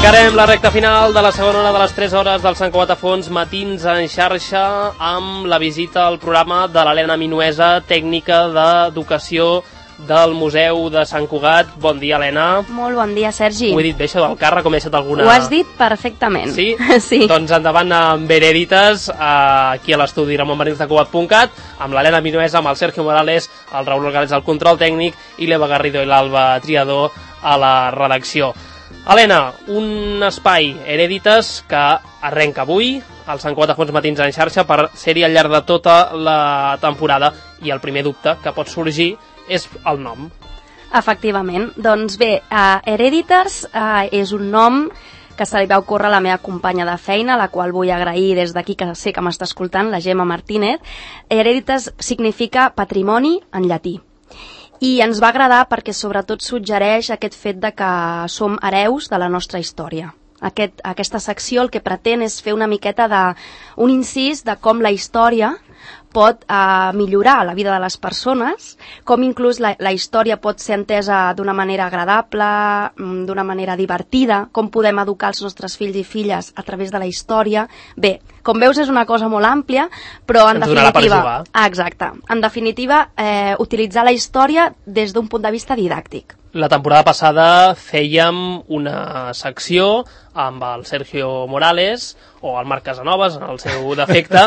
Tancarem la recta final de la segona hora de les 3 hores del Sant Cugat a Fons, matins en xarxa, amb la visita al programa de l'Helena Minuesa, tècnica d'educació del Museu de Sant Cugat. Bon dia, Helena. Molt bon dia, Sergi. Ho he dit bé, això del càrrec, com he deixat alguna... Ho has dit perfectament. Sí? Sí. Doncs endavant amb Herèdites, aquí a l'estudi ramonbenitezdecugat.cat, amb l'Helena Minuesa, amb el Sergio Morales, el Raúl Orgales al control tècnic i l'Eva Garrido i l'Alba Triador a la redacció. Helena, un espai Herèdites que arrenca avui, al Sant Cugat a Fons matins en xarxa, per ser-hi al llarg de tota la temporada, i el primer dubte que pot sorgir és el nom. Efectivament. Doncs bé, Herèdites és un nom que se li va ocórrer a la meva companya de feina, la qual vull agrair des d'aquí, que sé que m'està escoltant, la Gemma Martínez. Herèdites significa patrimoni en llatí. I ens va agradar perquè sobretot suggereix aquest fet de que som hereus de la nostra història. Aquesta secció el que pretén és fer una miqueta un incís de com la història pot millorar la vida de les persones, com inclús la història pot ser entesa d'una manera agradable, d'una manera divertida, com podem educar els nostres fills i filles a través de la història. Bé, com veus és una cosa molt àmplia, però en definitiva... Per jugar. Exacte. En definitiva, utilitzar la història des d'un punt de vista didàctic. La temporada passada fèiem una secció amb el Sergio Morales, o el Marc Casanovas, en el seu defecte,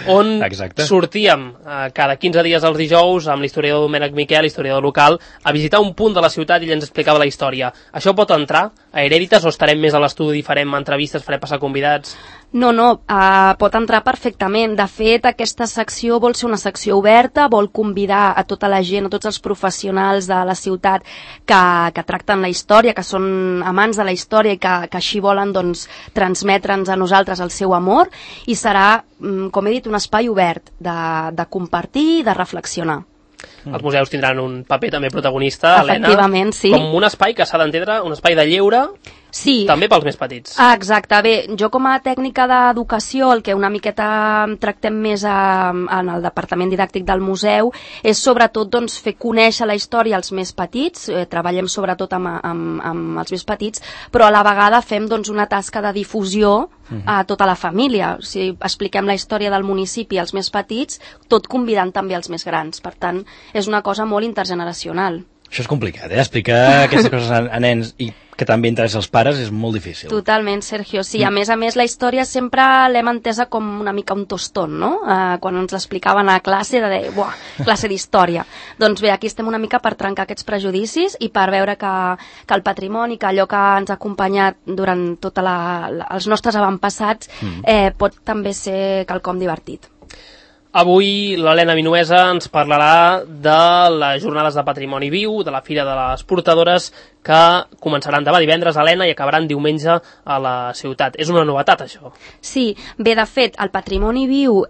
on sortíem cada 15 dies els dijous amb l'historiador Domènec Miquel, historiador local, a visitar un punt de la ciutat i ell ens explicava la història. Això pot entrar a Herèdites o estarem més a l'estudi, farem entrevistes, farem passar convidats? No, pot entrar perfectament. De fet, aquesta secció vol ser una secció oberta, vol convidar a tota la gent, a tots els professionals de la ciutat que tracten la història, que són amants de la història i que així volen transmetre'ns a nosaltres el seu amor, i serà, com he dit, un espai obert de compartir i de reflexionar. Els museus tindran un paper també protagonista, Helena. Efectivament, sí. Com un espai que s'ha d'entendre, un espai de lleure, sí. També pels més petits. Exacte. Bé, jo com a tècnica d'educació, el que una miqueta tractem més en el departament didàctic del museu és sobretot fer conèixer la història als més petits, treballem sobretot amb els més petits, però a la vegada fem una tasca de difusió a tota la família. O sigui, expliquem la història del municipi als més petits, tot convidant també els més grans. Per tant, és una cosa molt intergeneracional. Això és complicat, aquestes coses a nens i que també interessa als pares és molt difícil. Totalment, Sergio. Sí, a més, la història sempre l'hem entesa com una mica un tostón, no? Quan ens l'explicaven a classe, de dir, buah, classe d'història. Doncs bé, aquí estem una mica per trencar aquests prejudicis i per veure que el patrimoni, que allò que ens ha acompanyat durant tots els nostres avantpassats pot també ser quelcom divertit. Avui l'Helena Minuesa ens parlarà de les jornades de patrimoni viu, de la Fira de les Portadores, que començaran demà divendres, Helena, i acabaran diumenge a la ciutat. És una novetat, això? Sí, bé, de fet, el Patrimoni Viu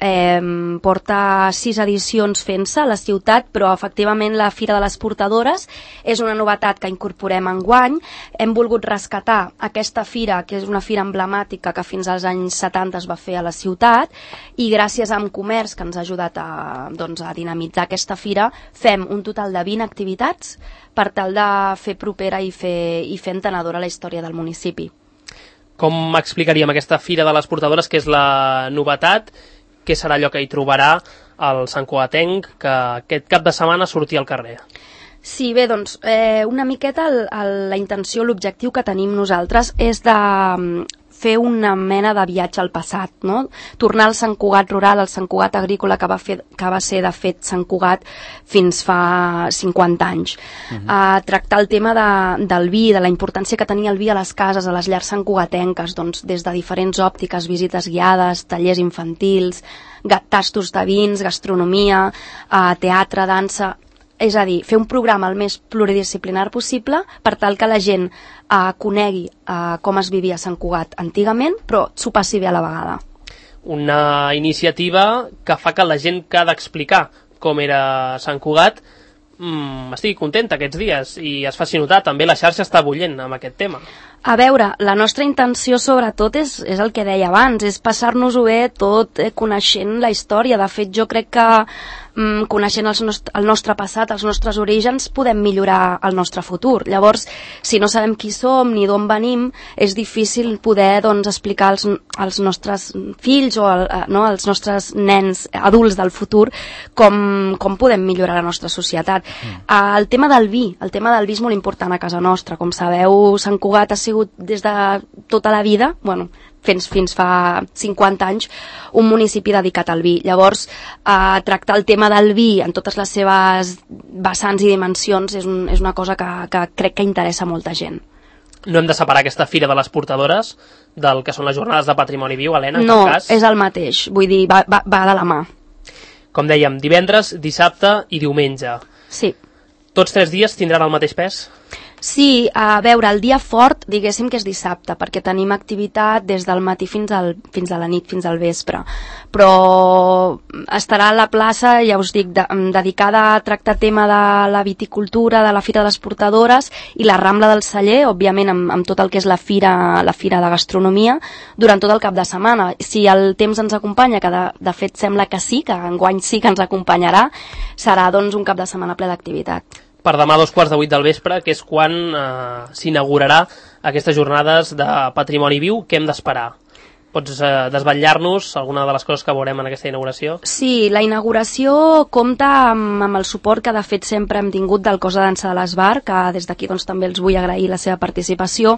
porta 6 edicions fent-se a la ciutat, però efectivament la Fira de les Portadores és una novetat que incorporem enguany. Hem volgut rescatar aquesta fira, que és una fira emblemàtica que fins als anys 70 es va fer a la ciutat, i gràcies a Comerç, que ens ha ajudat a dinamitzar aquesta fira, fem un total de 20 activitats per tal de fer propera i fer entenedora la història del municipi. Com explicaríem aquesta Fira de les Portadores, que és la novetat? Què serà allò que hi trobarà el santcugatenc que aquest cap de setmana surti al carrer? Sí, bé, doncs una miqueta la intenció, l'objectiu que tenim nosaltres és de fer una mena de viatge al passat, no? Tornar al Sant Cugat rural, al Sant Cugat agrícola que va ser de fet Sant Cugat fins fa 50 anys. Tractar el tema del vi, de la importància que tenia el vi a les cases, a les llars santcugatenques, des de diferents òptiques, visites guiades, tallers infantils, tastos de vins, gastronomia, teatre, dansa. És a dir, fer un programa el més pluridisciplinar possible per tal que la gent conegui com es vivia a Sant Cugat antigament, però s'ho passi bé a la vegada. Una iniciativa que fa que la gent que ha d'explicar com era Sant Cugat estigui contenta aquests dies i es faci notar. També la xarxa està bullent amb aquest tema. A veure, la nostra intenció sobretot és el que deia abans, és passar-nos-ho bé tot coneixent la història. De fet, jo crec que coneixent el nostre passat, els nostres orígens, podem millorar el nostre futur. Llavors, si no sabem qui som ni d'on venim, és difícil poder explicar als nostres fills o als nostres nens adults del futur com podem millorar la nostra societat. El tema del vi és molt important a casa nostra. Com sabeu, Sant Cugat ha sigut des de tota la vida, fins fa 50 anys, un municipi dedicat al vi. Llavors, tractar el tema del vi en totes les seves vessants i dimensions és una cosa que crec que interessa molta gent. No hem de separar aquesta Fira de les Portadores del que són les jornades de patrimoni viu, Helena, en cap cas? No, és el mateix, vull dir, va de la mà. Com dèiem, divendres, dissabte i diumenge. Sí. Tots 3 dies tindran el mateix pes? Sí, a veure, el dia fort, diguéssim que és dissabte, perquè tenim activitat des del matí fins a la nit, fins al vespre. Però estarà a la plaça, ja us dic, dedicada a tractar tema de la viticultura, de la Fira de les Portadores i la Rambla del Celler, òbviament amb tot el que és la fira de gastronomia, durant tot el cap de setmana. Si el temps ens acompanya, que de fet sembla que sí, que enguany sí que ens acompanyarà, serà doncs un cap de setmana ple d'activitat. Per demà a 7:15 del vespre, que és quan s'inaugurarà aquestes jornades de patrimoni viu, què hem d'esperar? Pots desvetllar-nos alguna de les coses que veurem en aquesta inauguració? Sí, la inauguració compta amb el suport que de fet sempre hem tingut del Cos de Dansa de l'Esbar, que des d'aquí doncs, també els vull agrair la seva participació,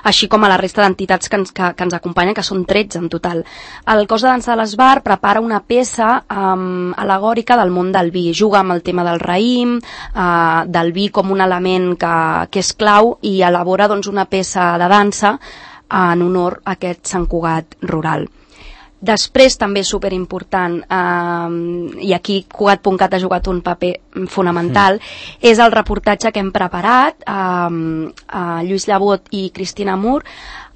així com a la resta d'entitats que ens acompanyen, que són 13 en total. El Cos de Dansa de l'Esbar prepara una peça al·legòrica del món del vi, juga amb el tema del raïm, del vi com un element que és clau, i elabora doncs, una peça de dansa en honor a aquest Sant Cugat rural. Després, també superimportant, i aquí Cugat.cat ha jugat un paper fonamental, és el reportatge que hem preparat, Lluís Llebot i Cristina Mur.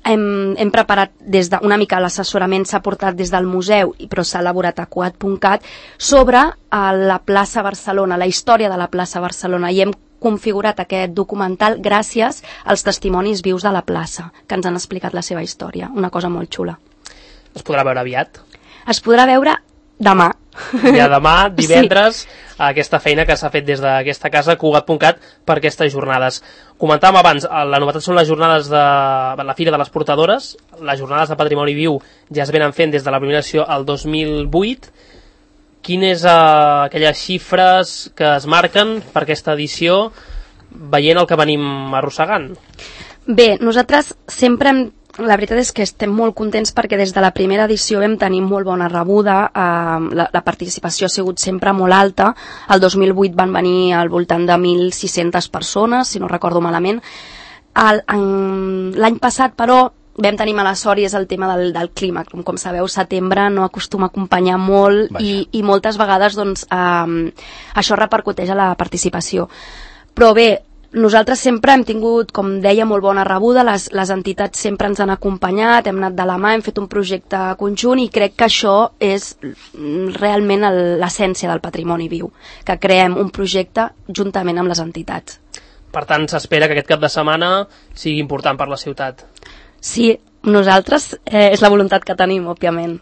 Hem preparat una mica l'assessorament s'ha portat des del museu, però s'ha elaborat a Cugat.cat sobre la plaça Barcelona, la història de la plaça Barcelona, i hem configurat aquest documental gràcies als testimonis vius de la plaça, que ens han explicat la seva història. Una cosa molt xula. Es podrà veure aviat? Es podrà veure demà. Ja demà, divendres, sí. Aquesta feina que s'ha fet des d'aquesta casa, Cugat.cat, per aquestes jornades. Comentàvem abans, la novetat són les jornades de la Fira de les Portadores, les jornades de patrimoni viu ja es venen fent des de la primera edició al 2008. Quines aquelles xifres que es marquen per aquesta edició, veient el que venim arrossegant? Bé, nosaltres sempre la veritat és que estem molt contents perquè des de la primera edició vam tenir molt bona rebuda, la participació ha sigut sempre molt alta. El 2008 van venir al voltant de 1.600 persones, si no recordo malament. L'any passat, però, vam tenir mala sort i és el tema del clima. Com sabeu, setembre no acostuma a acompanyar molt i moltes vegades doncs, això repercuteix a la participació. Però bé, nosaltres sempre hem tingut, com deia, molt bona rebuda, les entitats sempre ens han acompanyat, hem anat de la mà, hem fet un projecte conjunt i crec que això és realment l'essència del patrimoni viu, que creem un projecte juntament amb les entitats. Per tant, s'espera que aquest cap de setmana sigui important per la ciutat. Sí, nosaltres és la voluntat que tenim, òbviament.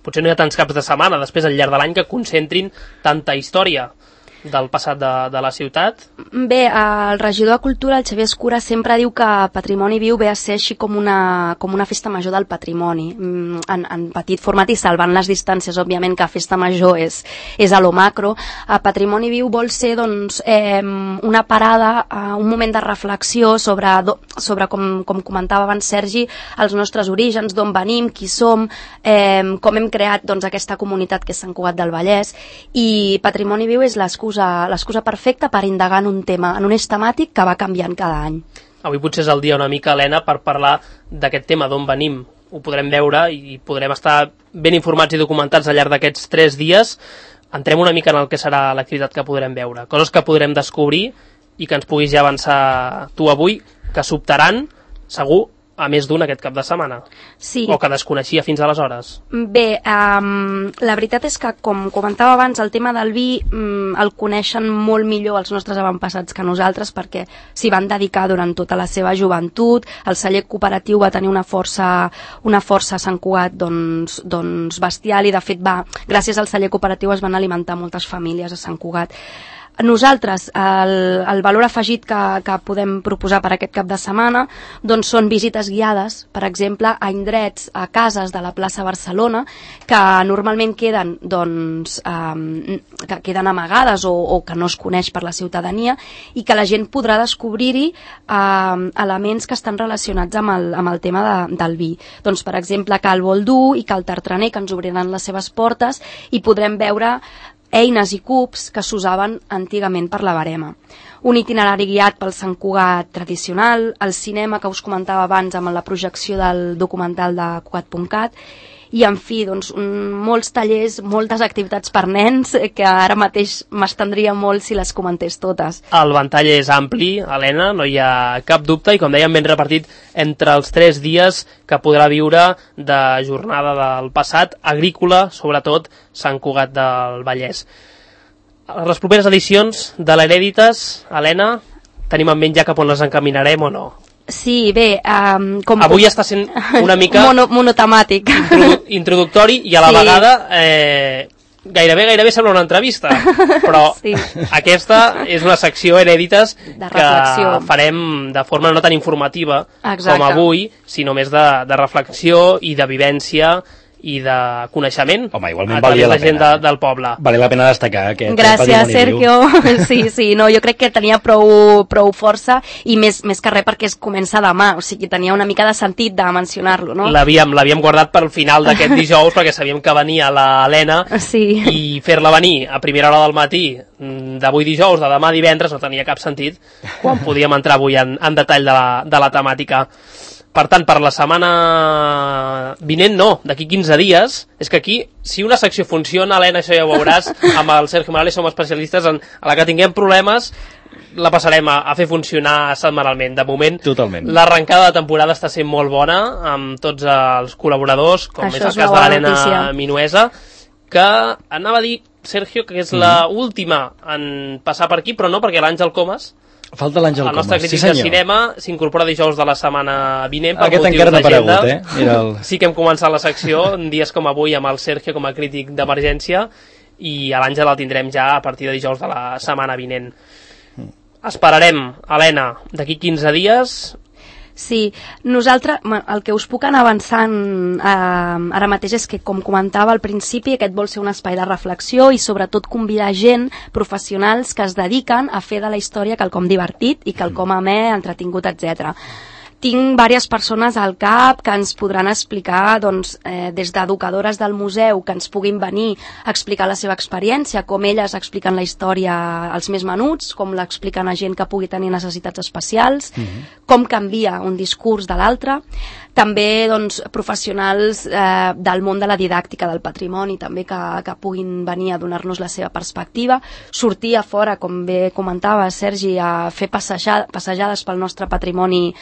Potser no hi ha tants caps de setmana, després al llarg de l'any, que concentrin tanta història del passat de la ciutat? Bé, el regidor de Cultura, el Xavier Escura, sempre diu que Patrimoni Viu ve a ser així com una festa major del patrimoni, en petit format i salvant les distàncies, òbviament, que festa major és a lo macro. Patrimoni Viu vol ser doncs, una parada, un moment de reflexió sobre com comentava abans Sergi, els nostres orígens, d'on venim, qui som, com hem creat doncs, aquesta comunitat que és Sant Cugat del Vallès, i Patrimoni Viu és l'excusa perfecta per indagar en un tema, en un eix temàtic que va canviant cada any. Avui potser és el dia una mica, Helena, per parlar d'aquest tema, d'on venim. Ho podrem veure i podrem estar ben informats i documentats al llarg d'aquests 3 dies. Entrem una mica en el que serà l'activitat que podrem veure, coses que podrem descobrir i que ens puguis ja avançar tu avui, que sobtaran, segur, a més d'un aquest cap de setmana. Sí. O que desconeixia fins aleshores. Bé, la veritat és que, com comentava abans, el tema del vi el coneixen molt millor els nostres avantpassats que nosaltres, perquè s'hi van dedicar durant tota la seva joventut. El celler cooperatiu va tenir una força a Sant Cugat doncs bestial, i de fet gràcies al celler cooperatiu es van alimentar moltes famílies a Sant Cugat. Nosaltres, el valor afegit que podem proposar per aquest cap de setmana doncs són visites guiades, per exemple, a indrets, a cases de la plaça Barcelona, que normalment queden amagades o que no es coneix per la ciutadania, i que la gent podrà descobrir-hi elements que estan relacionats amb el tema del vi. Doncs, per exemple, Cal Boldú i Cal Tartraner, que ens obriran les seves portes, i podrem veure eines i cubs que s'usaven antigament per la verema. Un itinerari guiat pel Sant Cugat tradicional, el cinema que us comentava abans amb la projecció del documental de Cugat.cat, i en fi, doncs, molts tallers, moltes activitats per nens, que ara mateix m'estendria molt si les comentés totes. El ventall és ampli, Helena, no hi ha cap dubte, i com dèiem, ben repartit entre els 3 dies que podrà viure de jornada del passat, agrícola, sobretot Sant Cugat del Vallès. Les properes edicions de l'Herèdites, Helena, tenim en ment ja cap on les encaminarem o no? Sí, bé... Avui està sent una mica... monotemàtic. Introductori, i a la vegada gairebé sembla una entrevista, però sí. Aquesta és una secció Herèdites que farem de forma no tan informativa com avui, sinó més de reflexió i de vivència i de coneixement. Home, igualment valia la gent del poble. Valia la pena destacar aquest Gràcies, Sergio. Sí, no, jo crec que tenia prou força, i més que res perquè es comença demà, o sigui, tenia una mica de sentit de mencionar-lo, no? L'havíem guardat pel final d'aquest dijous perquè sabíem que venia l'Helena, sí. I fer-la venir a primera hora del matí d'avui dijous, de demà divendres, no tenia cap sentit, quan podíem entrar avui en detall de la temàtica. Per tant, per la setmana vinent no, d'aquí 15 dies, és que aquí, si una secció funciona, Helena, això ja ho veuràs, amb el Sergio Morales som especialistes a la que tinguem problemes, la passarem a fer funcionar setmanalment. De moment, l'arrencada de temporada està sent molt bona, amb tots els col·laboradors, com és el cas de l'Helena Minuesa, que anava a dir, Sergio, que és l'última en passar per aquí, però no, perquè l'Àngel Comas, falta l'Àngel Comas. El nostre crític de cinema s'incorpora dijous de la setmana vinent per motius d'agenda. Sí que hem començat la secció dies com avui amb el Sergio com a crític d'emergència, i a l'Àngel el tindrem ja a partir de dijous de la setmana vinent. Esperarem, Helena, d'aquí 15 dies. Sí, nosaltres, el que us puc anar avançant ara mateix és que, com comentava al principi, aquest vol ser un espai de reflexió i sobretot convidar gent, professionals que es dediquen a fer de la història quelcom divertit i quelcom amè, entretingut, etc. Tinc diverses persones al cap que ens podran explicar, doncs, des d'educadores del museu, que ens puguin venir a explicar la seva experiència, com elles expliquen la història als més menuts, com l'expliquen a gent que pugui tenir necessitats especials, com canvia un discurs de l'altre. També, doncs, professionals del món de la didàctica del patrimoni, també que puguin venir a donar-nos la seva perspectiva, sortir a fora, com bé comentava Sergi, a fer passejades pel nostre patrimoni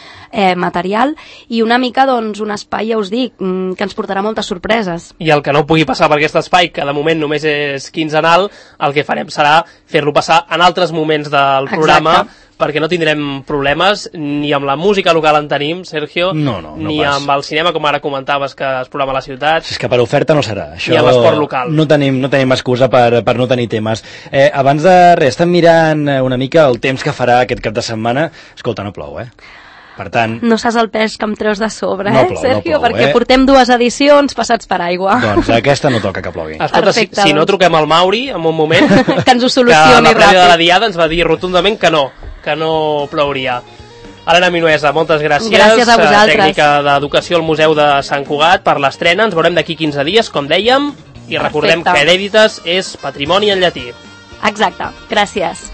material, i una mica, doncs, un espai, ja us dic, que ens portarà moltes sorpreses. I el que no pugui passar per aquest espai, que de moment només és quinzenal, el que farem serà fer-lo passar en altres moments del programa, perquè no tindrem problemes ni amb la música local en tenim, Sergio, ni amb el cinema, com ara comentaves, que es programa a la ciutat. És que per oferta no serà. Ni amb l'esport local. No tenim excusa per no tenir temes. Abans de res, estem mirant una mica el temps que farà aquest cap de setmana. Escolta, no plou, Per tant... No saps el pes que em treus de sobre, plou, Sergio? Perquè portem 2 edicions passats per aigua. Doncs aquesta no toca que plogui. Escolta, si no truquem al Mauri en un moment, que ens ho solucioni ràpid. Que la prèvia de la diada ens va dir rotundament que no plouria. Helena Minuesa, moltes gràcies. Gràcies a vosaltres. Tècnica d'Educació al Museu de Sant Cugat, per l'estrena. Ens veurem d'aquí 15 dies, com dèiem, i recordem que Herèdites és patrimoni en llatí. Exacte, gràcies.